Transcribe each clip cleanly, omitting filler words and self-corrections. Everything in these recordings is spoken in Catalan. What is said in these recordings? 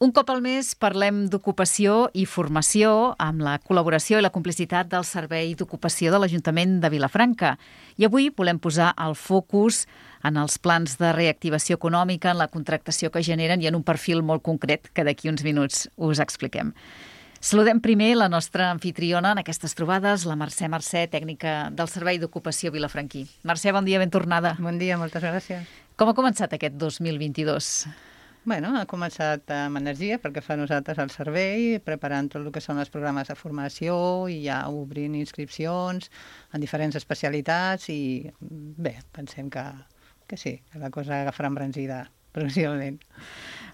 Un cop al mes parlem d'ocupació i formació amb la col·laboració i la complicitat del Servei d'Ocupació de l'Ajuntament de Vilafranca. I avui volem posar el focus en els plans de reactivació econòmica, en la contractació que generen i en un perfil molt concret que d'aquí uns minuts us expliquem. Saludem primer la nostra anfitriona en aquestes trobades, la Mercè, tècnica del Servei d'Ocupació vilafranquí. Mercè, bon dia, ben tornada. Bon dia, moltes gràcies. Com ha començat aquest 2022? Bueno, ha començat amb energia perquè fa nosaltres el servei, preparant tot el que són els programes de formació i ja obrint inscripcions en diferents especialitats i bé, pensem que sí, que la cosa agafarà embranzida progressivament.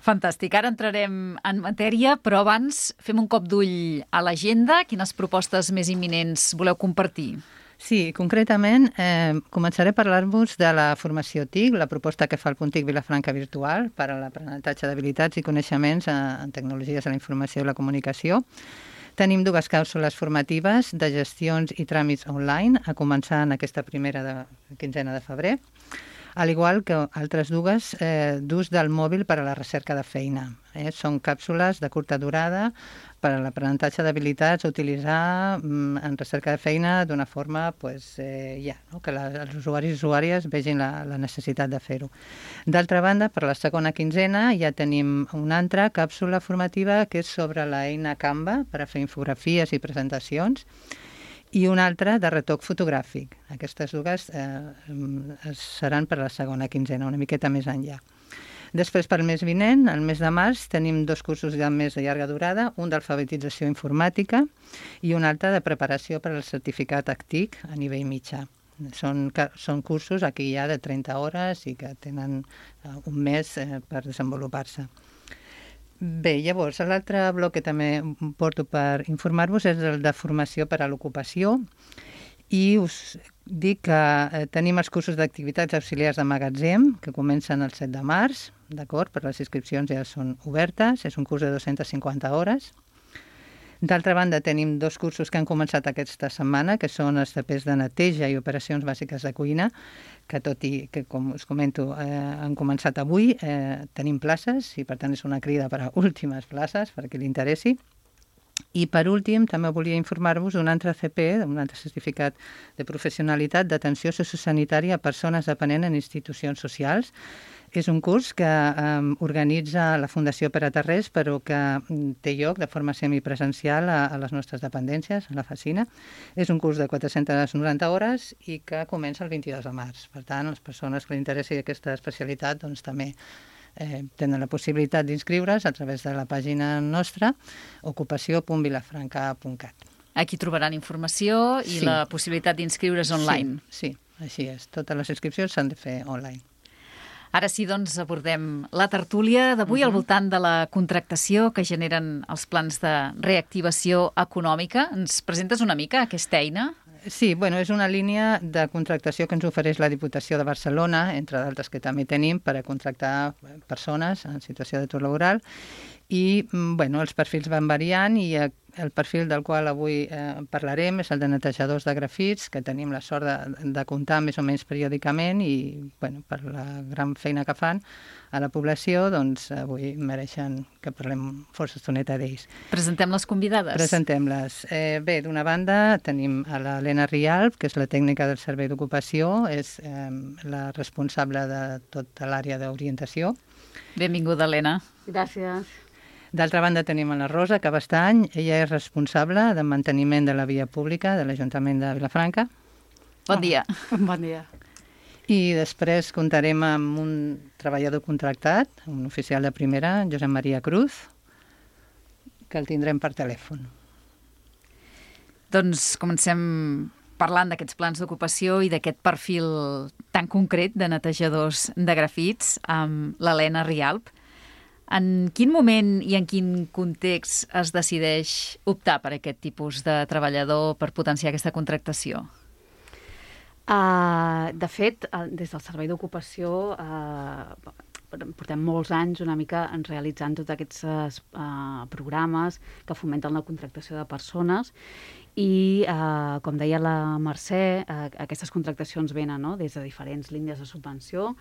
Fantàstic. Ara entrarem en matèria, però abans fem un cop d'ull a l'agenda. Quines propostes més imminents voleu compartir? Sí, concretament començaré a parlar-vos de la formació TIC, la proposta que fa el Punt TIC Vilafranca Virtual per a l'aprenentatge d'habilitats i coneixements en tecnologies de la informació i la comunicació. Tenim dues càpsules formatives de gestions i tràmits online, a començar en aquesta primera quinzena de febrer, al igual que altres dues d'ús del mòbil per a la recerca de feina. Són càpsules de curta durada per a l'aprenentatge d'habilitats a utilitzar en recerca de feina d'una forma que els usuaris i usuàries vegin la necessitat de fer-ho. D'altra banda, per la segona quinzena ja tenim una altra càpsula formativa que és sobre l'eina Canva per a fer infografies i presentacions i una altra de retoc fotogràfic. Aquestes dues seran per a la segona quinzena, una miqueta més enllà. Després, per al mes vinent, el mes de març, tenim dos cursos ja més de llarga durada, un d'alfabetització informàtica i un altre de preparació per al certificat ACTIC a nivell mitjà. Són cursos aquí ja de 30 hores i que tenen un mes per desenvolupar-se. Bé, llavors, l'altre bloc que també porto per informar-vos és el de formació per a l'ocupació i us dic que tenim els cursos d'activitats auxiliars de magatzem que comencen el 7 de març, d'acord? Per les inscripcions ja són obertes, és un curs de 250 hores. D'altra banda, tenim dos cursos que han començat aquesta setmana, que són els tapers de neteja i operacions bàsiques de cuina, que tot i que, com us comento, han començat avui, tenim places i per tant és una crida per a últimes places, per a qui li interessi. I per últim, també volia informar-vos d'un altre CP, un altre certificat de professionalitat d'atenció sociosanitària a persones dependents en institucions socials. És un curs que organitza la Fundació Pere Tarrés, però que té lloc de forma semipresencial a les nostres dependències, a la Facina. És un curs de 490 hores i que comença el 22 de març. Per tant, les persones que li interessi aquesta especialitat doncs, també tenen la possibilitat d'inscriure's a través de la pàgina nostra, ocupació.vilafranca.cat. Aquí trobaran informació i la possibilitat d'inscriure's online. Sí, així és. Totes les inscripcions s'han de fer online. Ara sí, doncs, abordem la tertúlia d'avui al voltant de la contractació que generen els plans de reactivació econòmica. Ens presentes una mica aquesta eina? Sí, és una línia de contractació que ens ofereix la Diputació de Barcelona, entre d'altres que també tenim, per a contractar persones en situació d'atur laboral. I els perfils van variant i el perfil del qual avui parlarem és el de netejadors de grafits, que tenim la sort de comptar més o menys periòdicament i per la gran feina que fan a la població, doncs avui mereixen que parlem força estoneta d'ells. Presentem les convidades. Presentem-les. Bé, d'una banda tenim a l'Helena Rialp, que és la tècnica del Servei d'Ocupació, és la responsable de tota l'àrea d'orientació. Benvinguda, Helena. Gràcies. D'altra banda tenim a la Rosa Cabestany, ella és responsable de manteniment de la via pública de l'Ajuntament de Vilafranca. Bon dia. Bon dia. I després comptarem amb un treballador contractat, un oficial de primera, Josep Maria Cruz, que el tindrem per telèfon. Doncs comencem parlant d'aquests plans d'ocupació i d'aquest perfil tan concret de netejadors de grafits amb l'Helena Rialp. En quin moment i en quin context es decideix optar per aquest tipus de treballador per potenciar aquesta contractació? De fet, des del Servei d'Ocupació portem molts anys una mica realitzant tots aquests programes que fomenten la contractació de persones i, com deia la Mercè, aquestes contractacions venen des de diferents línies de subvenció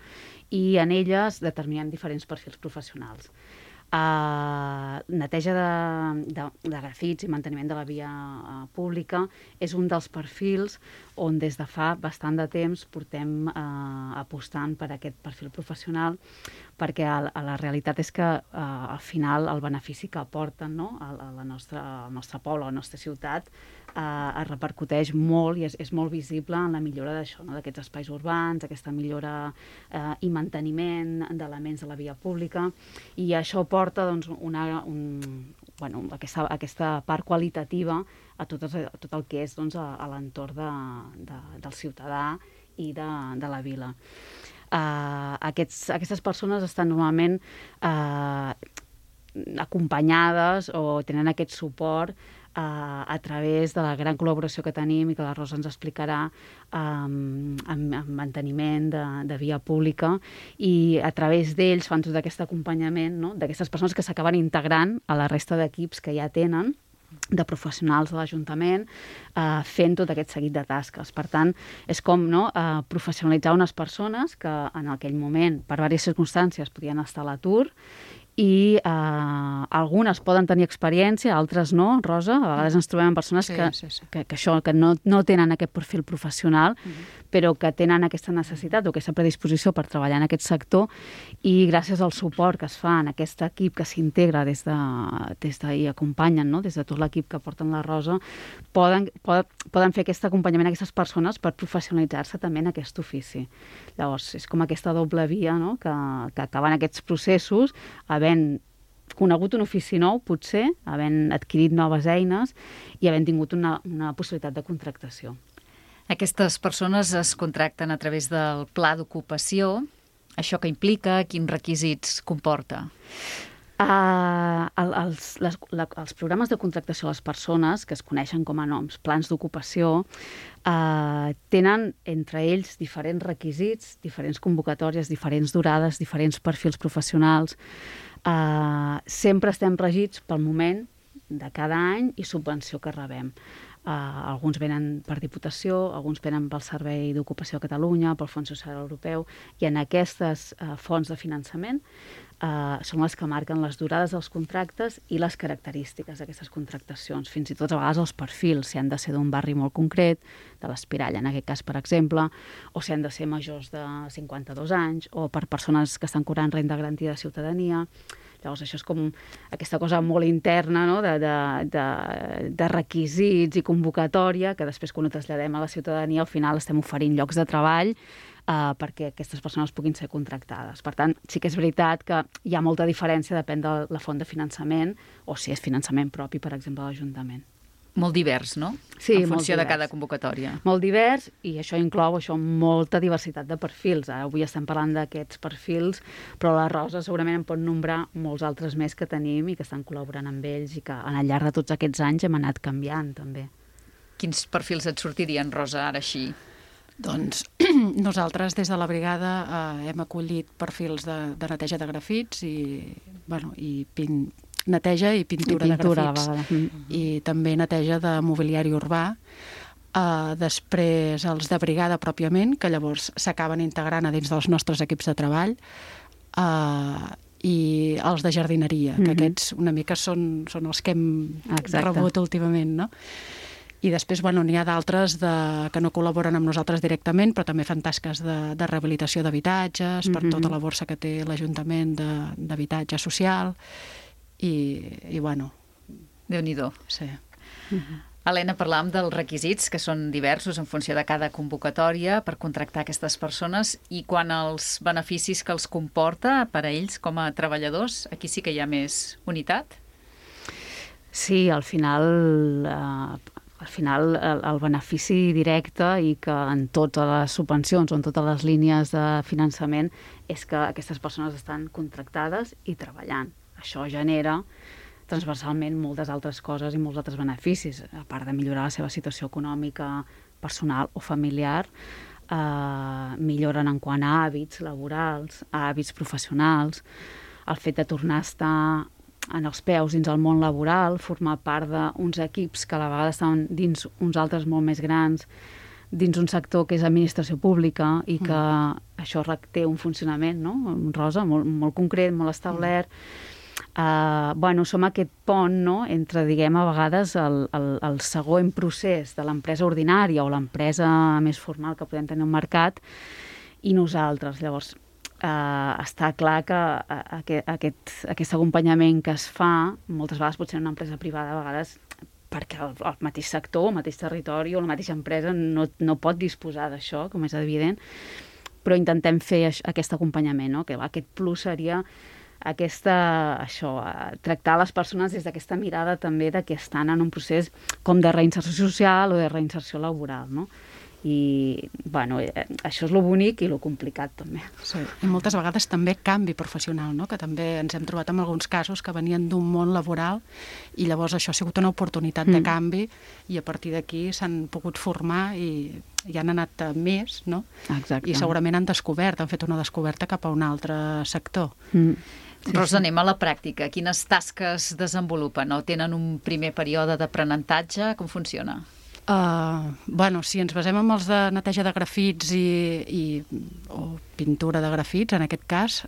i en elles determinen diferents perfils professionals. Neteja de grafits i manteniment de la via pública és un dels perfils on des de fa bastant de temps portem apostant per aquest perfil professional, perquè la realitat és que al final el benefici que aporten, no, al nostre poble, a la nostra ciutat, es repercuteix molt i és molt visible en la millora d'això, no, d'aquests espais urbans, aquesta millora i manteniment d'elements de la via pública, i això porta doncs, aquesta part qualitativa a tot el que és doncs, a l'entorn del ciutadà i de la vila. Aquestes persones estan normalment acompanyades o tenen aquest suport a través de la gran col·laboració que tenim i que la Rosa ens explicarà en manteniment de via pública, i a través d'ells fan tot aquest acompanyament, no?, d'aquestes persones que s'acaben integrant a la resta d'equips que ja tenen, de professionals de l'Ajuntament, fent tot aquest seguit de tasques. Per tant, és com professionalitzar unes persones que en aquell moment, per diverses circumstàncies, podien estar a l'atur, i algunes poden tenir experiència, altres no, Rosa. A vegades ens trobem amb persones que no tenen aquest perfil professional, però que tenen aquesta necessitat o aquesta predisposició per treballar en aquest sector, i gràcies al suport que es fa en aquest equip que s'integra des i acompanyen, no?, des de tot l'equip que porten la Rosa, poden fer aquest acompanyament a aquestes persones per professionalitzar-se també en aquest ofici. Llavors, és com aquesta doble via, no?, que acaben aquests processos havent conegut un ofici nou, potser, havent adquirit noves eines i havent tingut una possibilitat de contractació. Aquestes persones es contracten a través del pla d'ocupació. Això que implica, quins requisits comporta? Els programes de contractació a les persones, que es coneixen com a noms, plans d'ocupació, tenen entre ells diferents requisits, diferents convocatòries, diferents durades, diferents perfils professionals. Sempre estem regits pel moment de cada any i subvenció que rebem. Alguns venen per Diputació, alguns venen pel Servei d'Ocupació a Catalunya, pel Fons Social Europeu, i en aquestes fonts de finançament són les que marquen les durades dels contractes i les característiques d'aquestes contractacions, fins i tot a vegades els perfils, si han de ser d'un barri molt concret, de l'Espirall en aquest cas, per exemple, o si han de ser majors de 52 anys, o per persones que estan cobrant renda garantida de ciutadania. Llavors, això és com aquesta cosa molt interna, no?, de requisits i convocatòria, que després, quan ho traslladem a la ciutadania, al final estem oferint llocs de treball perquè aquestes persones puguin ser contractades. Per tant, sí que és veritat que hi ha molta diferència, depèn de la font de finançament, o si és finançament propi, per exemple, de l'Ajuntament. Molt divers, no? Sí, en funció de cada convocatòria. Molt divers, i això inclou molta diversitat de perfils. Avui estem parlant d'aquests perfils, però la Rosa segurament en pot nombrar molts altres més que tenim i que estan col·laborant amb ells i que al llarg de tots aquests anys hem anat canviant, també. Quins perfils et sortirien, Rosa, ara així? Doncs nosaltres des de la brigada hem acollit perfils de neteja de grafits i neteja i pintura de grafits. I també neteja de mobiliari urbà. Després els de brigada pròpiament, que llavors s'acaben integrant a dins dels nostres equips de treball, i els de jardineria, que aquests una mica són els que hem rebut últimament, no? I després, n'hi ha d'altres que no col·laboren amb nosaltres directament, però també fan tasques de rehabilitació d'habitatges, per tota la borsa que té l'Ajuntament d'habitatge social, i bueno... Déu-n'hi-do. Sí. Helena, parlàvem dels requisits, que són diversos en funció de cada convocatòria per contractar aquestes persones, i quan els beneficis que els comporta per a ells com a treballadors, aquí sí que hi ha més unitat? Sí, al final el benefici directe, i que en totes les subvencions o en totes les línies de finançament, és que aquestes persones estan contractades i treballant. Això genera transversalment moltes altres coses i molts altres beneficis, a part de millorar la seva situació econòmica, personal o familiar. Milloren en quant a hàbits laborals, a hàbits professionals, el fet de tornar a estar en els peus dins el món laboral, formar part d'uns equips que a la vegada estan dins uns altres molt més grans, dins un sector que és administració pública, i que això té un funcionament, no?, Rosa, molt concret, molt establert. som aquest pont, no?, entre, diguem, a vegades el següent procés de l'empresa ordinària o l'empresa més formal que podem tenir al mercat i nosaltres. Llavors, està clar que aquest acompanyament que es fa, moltes vegades potser en una empresa privada, a vegades perquè el mateix sector, el mateix territori o la mateixa empresa no pot disposar d'això, com és evident, però intentem fer aquest acompanyament, no? Que aquest plus seria tractar les persones des d'aquesta mirada també de que estan en un procés com de reinserció social o de reinserció laboral, no? I, això és lo bonic i lo complicat, també. Sí, i moltes vegades també canvi professional, no? Que també ens hem trobat en alguns casos que venien d'un món laboral i llavors això ha sigut una oportunitat de canvi i a partir d'aquí s'han pogut formar i han anat més, no? Exacte. I segurament han fet una descoberta cap a un altre sector. Sí, Rosa, anem a la pràctica. Quines tasques desenvolupen? O tenen un primer període d'aprenentatge? Com funciona? Si ens basem en els de neteja de grafits o pintura de grafits, en aquest cas,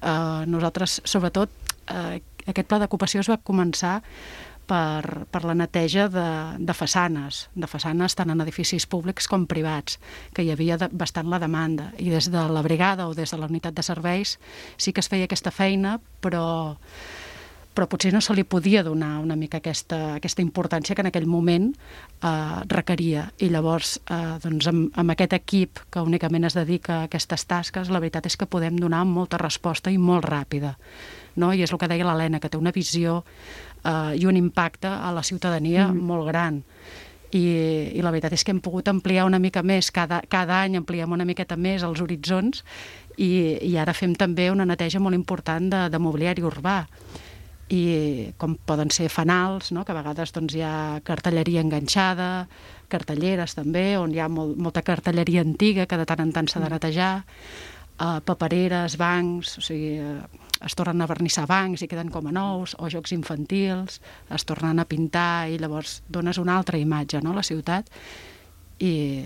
nosaltres, sobretot, aquest pla d'ocupació es va començar per la neteja de façanes tant en edificis públics com privats, que hi havia bastant la demanda. I des de la brigada o des de la unitat de serveis sí que es feia aquesta feina, però potser no se li podia donar una mica aquesta importància que en aquell moment requeria. I llavors, amb aquest equip que únicament es dedica a aquestes tasques, la veritat és que podem donar molta resposta i molt ràpida. No? I és el que deia l'Helena, que té una visió i un impacte a la ciutadania molt gran. I la veritat és que hem pogut ampliar una mica més, cada any ampliem una miqueta més els horitzons i ara fem també una neteja molt important de mobiliari urbà. I com poden ser fanals, no? Que a vegades hi ha cartelleria enganxada, cartelleres també, on hi ha molta cartelleria antiga que de tant en tant s'ha de netejar, papereres, bancs, o sigui, es tornen a vernissar bancs i queden com a nous, o jocs infantils, es tornen a pintar i llavors dones una altra imatge, no?, a la ciutat. I,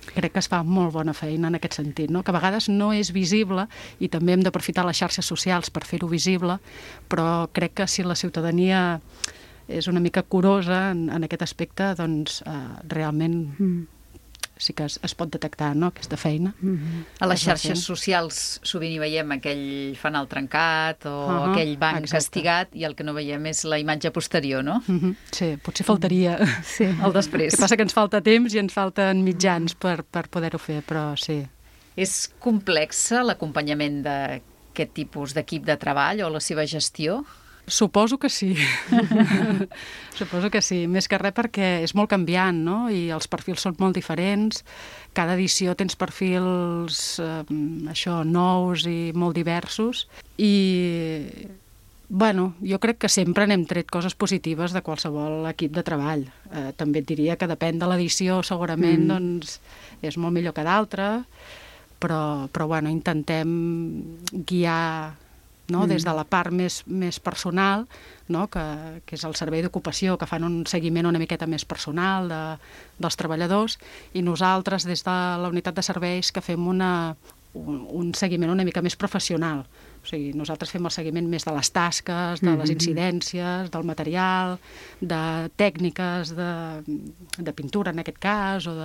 crec que es fa molt bona feina en aquest sentit, no? Que a vegades no és visible i també hem d'aprofitar les xarxes socials per fer-ho visible, però crec que si la ciutadania és una mica curosa en aquest aspecte, doncs realment sí que es pot detectar, no?, aquesta feina. A les xarxes socials sovint hi veiem aquell fanal trencat o aquell banc castigat i el que no veiem és la imatge posterior, no? Sí, potser faltaria el després. El que passa que ens falta temps i ens falten mitjans per poder-ho fer, però sí. És complexa l'acompanyament d'aquest tipus d'equip de treball o la seva gestió? Suposo que sí. Suposo que sí. Més que res perquè és molt canviant, no? I els perfils són molt diferents. Cada edició tens perfils nous i molt diversos. I, jo crec que sempre n'hem tret coses positives de qualsevol equip de treball. També et diria que depèn de l'edició, segurament, doncs, és molt millor que d'altra, però intentem guiar, no? Des de la part més personal, no? que és el servei d'ocupació, que fan un seguiment una miqueta més personal dels treballadors, i nosaltres des de la unitat de serveis que fem un seguiment una mica més professional. O sigui, nosaltres fem el seguiment més de les tasques, de les incidències, del material, de tècniques de pintura en aquest cas, o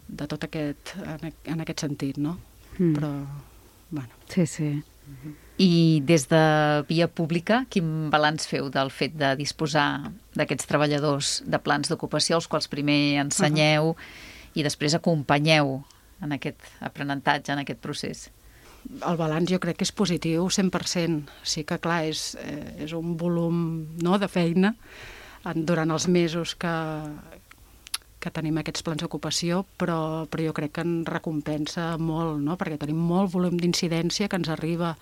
de tot en aquest sentit, no? Però, Sí. I des de Via Pública, quin balanç feu del fet de disposar d'aquests treballadors de plans d'ocupació, els quals primer ensenyeu i després acompanyeu en aquest aprenentatge, en aquest procés? El balanç jo crec que és positiu 100%. Sí que, clar, és un volum, no?, de feina durant els mesos que tenim aquests plans d'ocupació, però jo crec que en recompensa molt, no?, perquè tenim molt volum d'incidència que ens arriba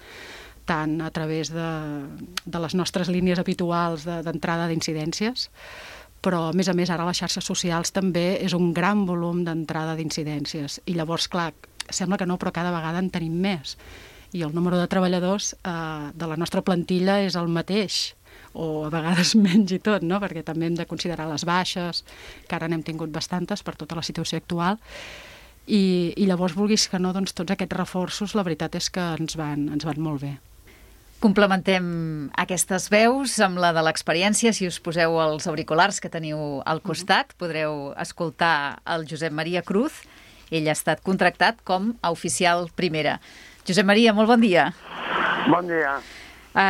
tant a través de les nostres línies habituals d'entrada d'incidències, però, a més, ara les xarxes socials també és un gran volum d'entrada d'incidències. I llavors, clar, sembla que no, però cada vegada en tenim més. I el número de treballadors de la nostra plantilla és el mateix, o a vegades menys i tot, no? Perquè també hem de considerar les baixes, que ara n'hem tingut bastantes per tota la situació actual, i llavors, vulguis que no, doncs tots aquests reforços, la veritat és que ens van molt bé. Complementem aquestes veus amb la de l'experiència. Si us poseu els auriculars que teniu al costat, podreu escoltar el Josep Maria Cruz. Ell ha estat contractat com a oficial primera. Josep Maria, molt bon dia. Bon dia.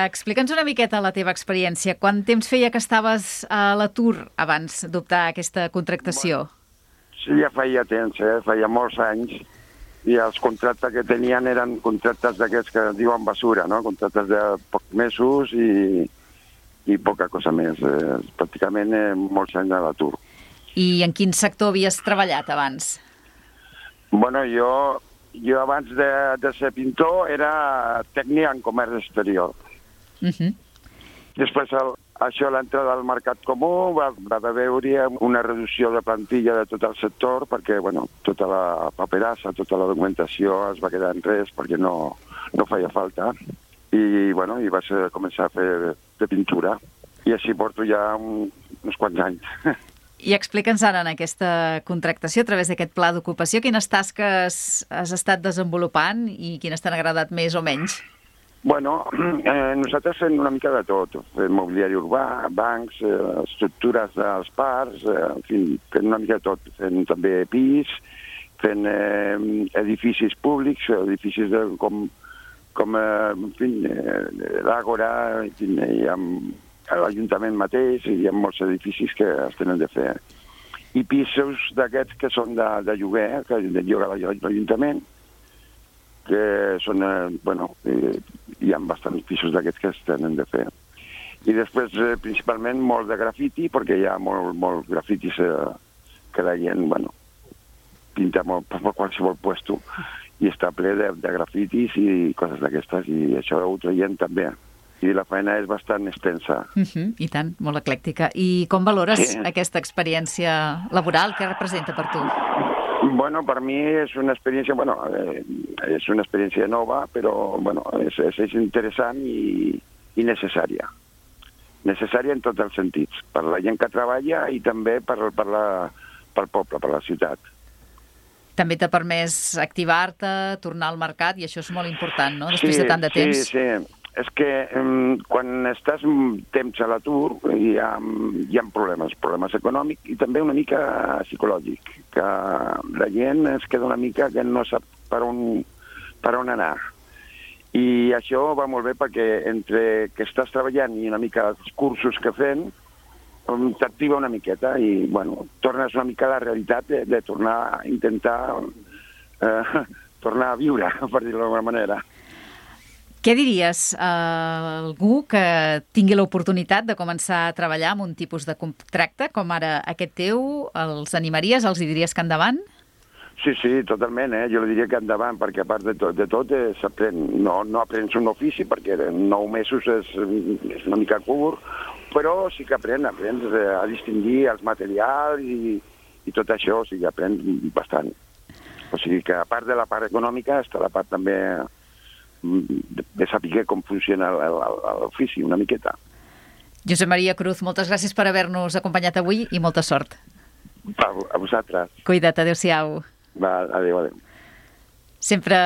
Explica'ns una miqueta la teva experiència. Quant temps feia que estaves a l'atur abans d'optar a aquesta contractació? Sí, ja feia temps, feia molts anys. I els contractes que tenien eren contractes d'aquests que diuen basura, no? Contractes de pocs mesos i poca cosa més. Pràcticament molts anys a l'atur. I en quin sector havies treballat abans? Bueno, jo abans de ser pintor era tècnic en comerç exterior. Després això, l'entrada al mercat comú, va veure una reducció de plantilla de tot el sector perquè, bueno, tota la paperassa, tota la documentació es va quedar en res perquè no feia falta. I, bueno, i vaig començar a fer de pintura. I així porto ja uns quants anys. I explica'ns ara en aquesta contractació, a través d'aquest pla d'ocupació, quines tasques has estat desenvolupant i quines t'han agradat més o menys? Bueno, nosaltres fem una mica de tot. Fem mobiliari urbà, bancs, estructures dels parcs, en fi, fem una mica de tot. Fem també pis, fem edificis públics, edificis com en fi, l'Àgora, hi ha l'Ajuntament mateix, hi ha molts edificis que es tenen de fer. I pisos d'aquests que són de lloguer, que lloga l'Ajuntament, que són, bueno, hi ha bastants pisos d'aquests que es tenen de fer. I després, principalment, molt de grafiti, perquè hi ha molt grafitis que la gent, bueno, pinta molt per qualsevol puesto i està ple de grafitis i coses d'aquestes, i això ho traiem també. I la feina és bastant extensa. I tant, molt eclèctica. I com valores aquesta experiència laboral? Què representa per tu? Bueno, per mi és una experiència, bueno, és una experiència nova, però, bueno, és interessant i necessària. Necessària en tots els sentits, per la gent que treballa i també pel poble, per la ciutat. També t'ha permès activar-te, tornar al mercat, i això és molt important, no?, després de tant de temps. Sí. És que quan estàs temps a l'atur hi ha problemes econòmics i també una mica psicològic, que la gent es queda una mica que no sap per on anar. I això va molt bé perquè entre que estàs treballant i una mica els cursos que fem, t'activa una miqueta i, bueno, tornes una mica a la realitat de tornar a intentar tornar a viure, per dir-ho d'alguna manera. Què diries a algú que tingui l'oportunitat de començar a treballar amb un tipus de contracte com ara aquest teu? Els animaries? Els diries que endavant? Sí, totalment. Jo li diria que endavant, perquè a part de tot s'aprèn. No aprens un ofici, perquè en 9 mesos és una mica curt, però sí que aprens a distingir els materials i tot això, o sigui, aprens bastant. O sigui que a part de la part econòmica està la part també de saber com funciona l'ofici, una miqueta. Josep Maria Cruz, moltes gràcies per haver-nos acompanyat avui i molta sort. A vosaltres. Cuida't, adéu-siau. Adéu. Sempre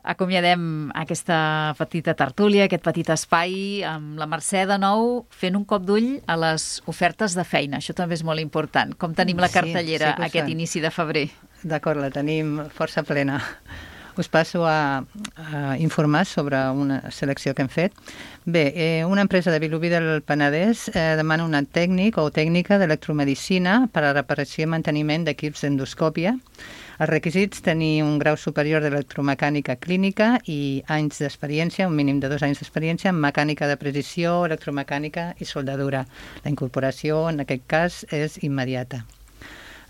acomiadem aquesta petita tertúlia, aquest petit espai, amb la Mercè de nou fent un cop d'ull a les ofertes de feina. Això també és molt important. Com tenim la cartellera aquest inici de febrer? D'acord, la tenim força plena. Us passo a informar sobre una selecció que hem fet. Bé, una empresa de Vilobí del Penedès demana un tècnic o tècnica d'electromedicina per a reparació i manteniment d'equips d'endoscòpia. Els requisits: tenir un grau superior d'electromecànica clínica i anys d'experiència, un mínim de 2 anys d'experiència en mecànica de precisió, electromecànica i soldadura. La incorporació, en aquest cas, és immediata.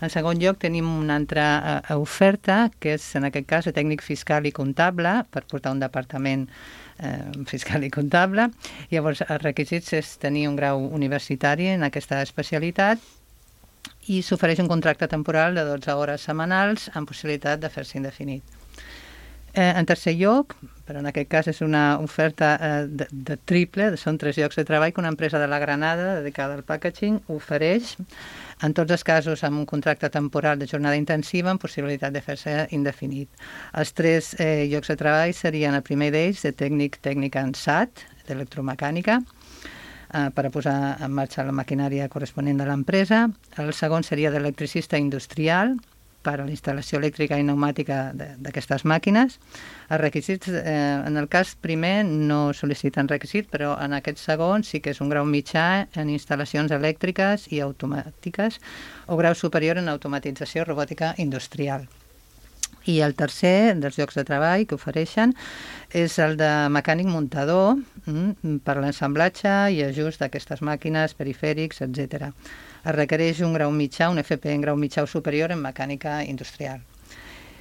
En segon lloc, tenim una altra oferta, que és, en aquest cas, de tècnic fiscal i comptable, per portar un departament fiscal i comptable. Llavors, els requisits és tenir un grau universitari en aquesta especialitat i s'ofereix un contracte temporal de 12 hores setmanals amb possibilitat de fer-se indefinit. En tercer lloc, però en aquest cas és una oferta de triple, són 3 llocs de treball que una empresa de la Granada dedicada al packaging ofereix, en tots els casos amb un contracte temporal de jornada intensiva amb possibilitat de fer-se indefinit. Els 3 llocs de treball serien el primer d'ells de tècnic en SAT, d'electromecànica per a posar en marxa la maquinària corresponent de l'empresa. El segon seria d'electricista industrial, per a la instal·lació elèctrica i pneumàtica d'aquestes màquines. Els requisits, en el cas primer, no sol·liciten requisit, però en aquest segon sí que és un grau mitjà en instal·lacions elèctriques i automàtiques o grau superior en automatització robòtica industrial. I el tercer dels llocs de treball que ofereixen és el de mecànic muntador per l'ensamblatge i ajust d'aquestes màquines, perifèrics, etc. Es requereix un grau mitjà, un FP en grau mitjà o superior en mecànica industrial.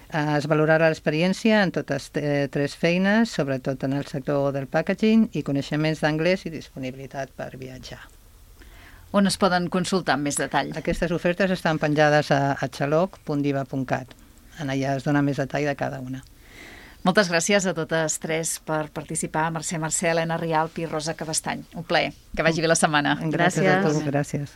Es valorarà l'experiència en totes tres feines, sobretot en el sector del packaging, i coneixements d'anglès i disponibilitat per viatjar. On es poden consultar amb més detall? Aquestes ofertes estan penjades a xaloc.diva.cat. Allà es dona més detall de cada una. Moltes gràcies a totes tres per participar. Mercè, Elena Rialp i Rosa Cabestany. Un plaer. Que vagi bé la setmana. Gràcies a tots. Gràcies.